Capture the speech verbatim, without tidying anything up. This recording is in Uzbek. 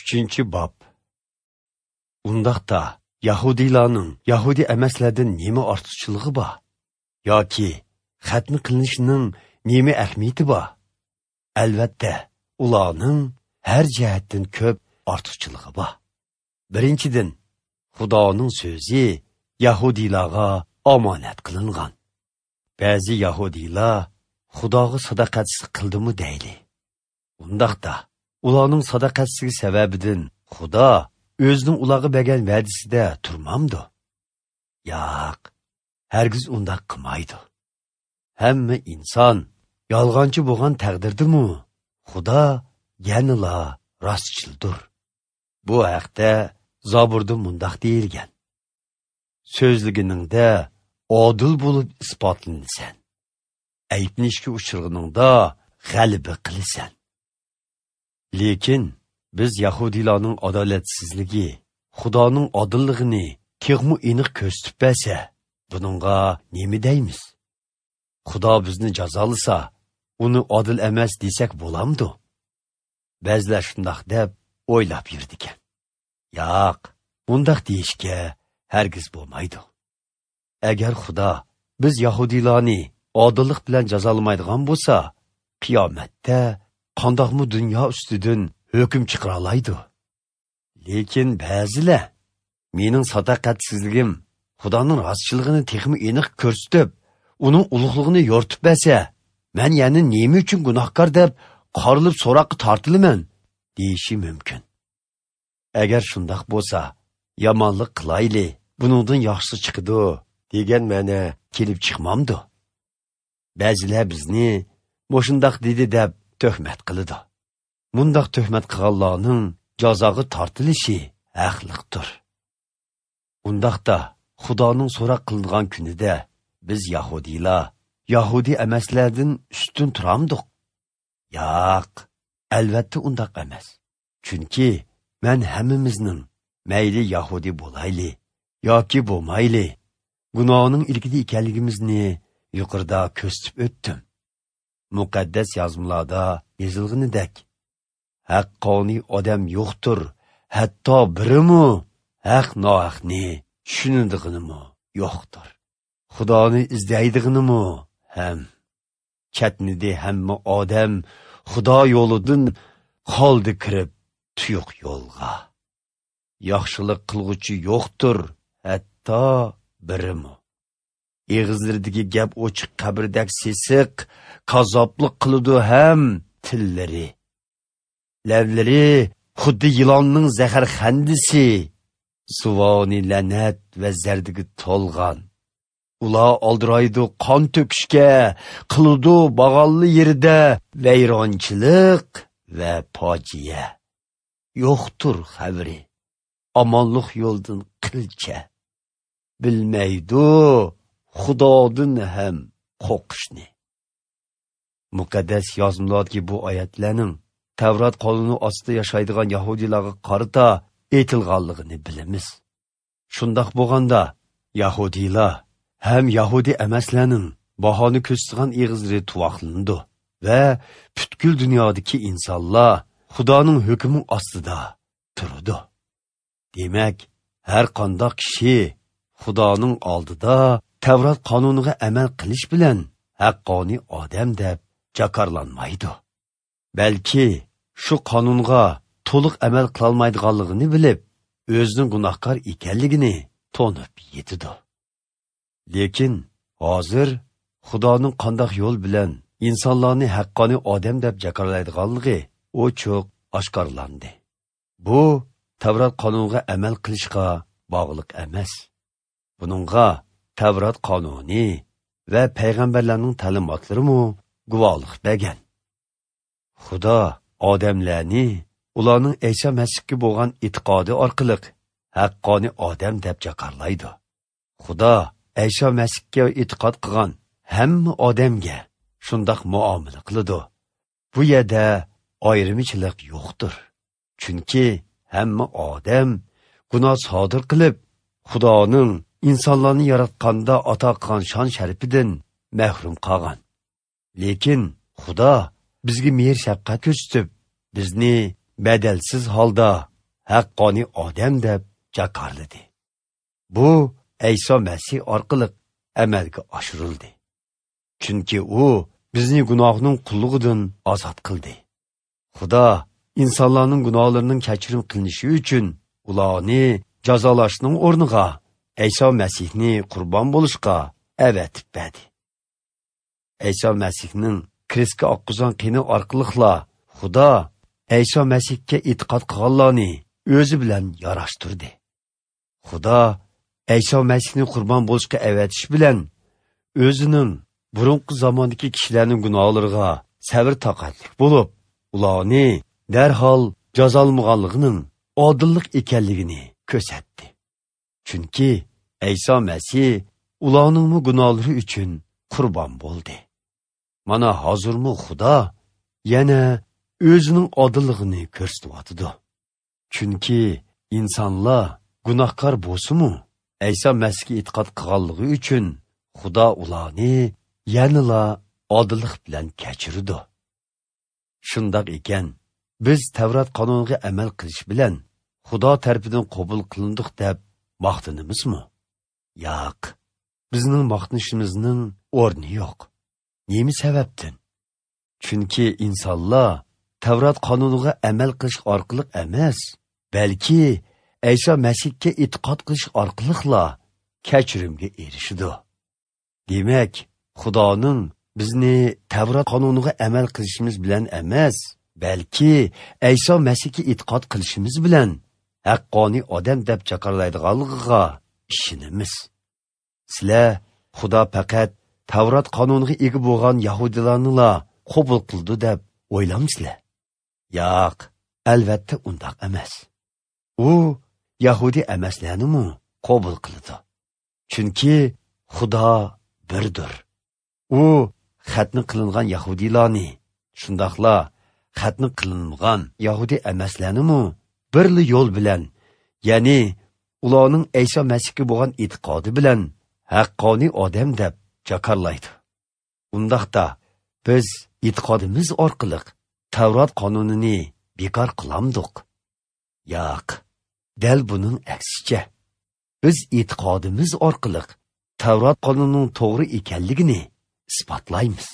Uchinchi bob. Undaqda Yahudilarning Yahudi emaslardan nima ortiqchiligi bor? Yoki xatni qilinishining nima ahamiyati bor? Albatta, ularning har jihatdan ko'p ortiqchiligi bor. Birinchidan, Xudoning so'zi Yahudilarga omonat qilingan. Ba'zi Yahudilar Xudoga sadoqatsizlik qildimi deyli. Undaqda ularning sadoqatsizligi sababidan Xudo o'zining ularga bergan va'dasida turmamdi? Yo'q, hargiz undaq qilmaydi. Hamma inson yolg'onchi bo'lgan taqdirdimi, Xudo yanala rostchildir. Bu haqda Zaburda mundaq deyilgan: So'zliginingda odil bo'lib isbotlanasan. Ayblanishga uchirganingda g'alaba qilasan. Lekin biz Yahudilarning adolatsizligi, Xudoning odilligini texmi aniq ko'rsatib bersa, buningga nima deymiz? Xudo bizni jazolasa, uni odil emas desak bo'lamdi? Ba'zilar shundoq deb o'ylab yurdi ekan. Yo'q, bundaq deyishga hargiz bo'lmaydi. Agar Xudo biz Yahudilarni odillik bilan jazolamaydigan bo'lsa, qiyomatda qandoqmi dunyo ustidan hukm chiqara oladi? Lekin ba'zilar mening sadoqatsizligim Xudoning rostchiligini texmi aniq ko'rsatib, uning ulug'lig'ini yo'rtib bersa, men yana nima uchun gunohkor deb qorilib so'roqqa tortilaman deyishi mumkin. Agar shundoq bo'lsa, yomonlik qilayli, buningdan yaxshisi chiqadi degan ma'no kelib chiqmamdi. Ba'zilar bizni mo'shundoq dedi deb tuhmat qiladi. Mundaq tuhmat qilganlarning jazoga tortilishi haqliqdir. Undaqda Xudoning so'roq qilingan kunida biz Yahudilar Yahudi emaslardan ustun turamdiq? Yo'q, albatta undaq emas. Chunki men hammamizning mayli Yahudi bo'layli yoki bo'lmayli gunohning ilkida ekanligimizni yuqorida ko'rsatib o'tdim. Muqaddas yozmalarda yozilganidek, haqqoniy odam yo'qdir, hatto birimi haq nohaqni tushunadiganimi yo'qdir. Xudoni izlaydiganimi ham chatnidi hamma odam Xudo yo'lidan qoldi kirib tuyuq yo'lga. Yaxshilik qilg'uchi yo'qdir, hatto birimi. Eg'izlaridagi gap ochiq qabrdak sesiq, kazoblik qiladi ham tillari. Lavlari xuddi yilonning zaharxandisi, suvoni la'nat va zardiga to'lgan. Ular oldiraydi qon to'kishga, qiladi bag'alli yerida vayronchilik va fojia. Yo'qtur xabari, omonlik yo'ldan qilcha. Bilmaydi Xudodan ham qo'rqishni. Muqaddas yozmalardagi bu oyatlarning Tavrat qonuni ostida yashaydigan Yahudilarga qarata aytilganligini bilamiz. Shundoq bo'lganda Yahudilar ham Yahudi emaslarning bahoni ko'rsatgan eg'izlari tuvoqlandi va butkul dunyodagi insonlar Xudoning hukmi ostida turdi. Demak, har qanday kishi Xudoning oldida Tavrat qonuniga amal qilish bilan haqqoniy odam deb jakarlanmaydi. Balki shu qonunga to'liq amal qilolmaydiganligini bilib, o'zining gunohkor ekanligini tonib yetidi. Lekin hozir Xudoning qanday yo'l bilan insonlarni haqqoniy odam deb jakarlaydiganligi ochiq oshkorlandi. Bu Tavrat qonuniga amal qilishga bog'liq emas. Buningga Tavrat qonuni va payg'ambarlarning ta'limotlarimi guvohlik bergan. Xudo odamlarni ularning Isa Masihga bo'lgan e'tiqodi orqali haqqoniy odam deb jakarlaydi. Xudo Isa Masihga e'tiqod qilgan hamma odamga shundoq muomala qiladi. Bu yerda ayirmachilik yo'qdir. Chunki hamma odam gunoh sodir qilib, Xudoning insonlarni yaratganda ato qilgan shon sharafidan mahrum qolgan. Lekin Xudo bizga mehr shafqat ko'rsatib, bizni badalsiz holda haqqoniy odam deb jakarladi. Bu Ayso Masih orqali amalga oshirildi. Chunki u bizni gunohning qullugidan ozod qildi. Xudo insonlarning gunohlarining kechirim qilinishi uchun ularni jazolashning o'rniga Ayso Masihni qurbon bo'lishga avatib berdi. Ayso Masihning krestga oqqizgan qini orqali Xudo Ayso Masihga e'tiqod qilganlarni o'zi bilan yarashtirdi. Xudo Ayso Masihni qurbon bo'lishga avatish bilan o'zining burunqi zamondagi kishilarning gunohlariga sabr toqatlik bo'lib, ularni darhol jazolmaganligining odillik ekanligini ko'rsatdi. Chunki Ayso Masih ularning gunohlari uchun qurbon bo'ldi. Mana hozirmi Xudo yana o'zining odilligini ko'rsatyotidi. Chunki insonlar gunohkor bo'lsa-mu, Ayso Masihga e'tiqod qilganligi uchun Xudo ularni yanala odillik bilan kechirdi. Shundoq ekan, biz Tavrat qonuniga amal qilish bilan Xudo tarafidan qabul qilindik deb maqtanamizmi? Yo'q. Bizning maqtanishimizning o'rni yo'q. Nima sababdan? Chunki insonlar Tavrat qonuniga amal qilish orqali emas, balki Ayso Masihga e'tiqod qilish orqali kechirimga erishadi. Demak, Xudoning bizni Tavrat qonuniga amal qilishimiz bilan emas, balki Ayso Masihga e'tiqod qilishimiz bilan haqqoniy odam deb chaqirlaydiganligiga ishonamiz. Sizlar Xudo faqat Tavrat qonuniga ega bo'lgan yahudilarni qabul qildi deb o'ylamsizlar? Yo'q, albatta undaq emas. U yahudi emaslarni qabul qildi. Chunki Xudo birdir. U xatni qilingan yahudilarni, shundoqla xatni qilinmagan yahudi emaslarni birli yo'l bilan, ya'ni ularning Ayso Masihga bo'lgan e'tiqodi bilan haqqoniy odam deb jakarlaydi. Undaqda biz e'tiqodimiz orqali Tavrat qonunini bekor qilamdiq? Yo'q, dal buning aksicha. Biz e'tiqodimiz orqali Tavrat qonunining to'g'ri ekanligini isbotlaymiz.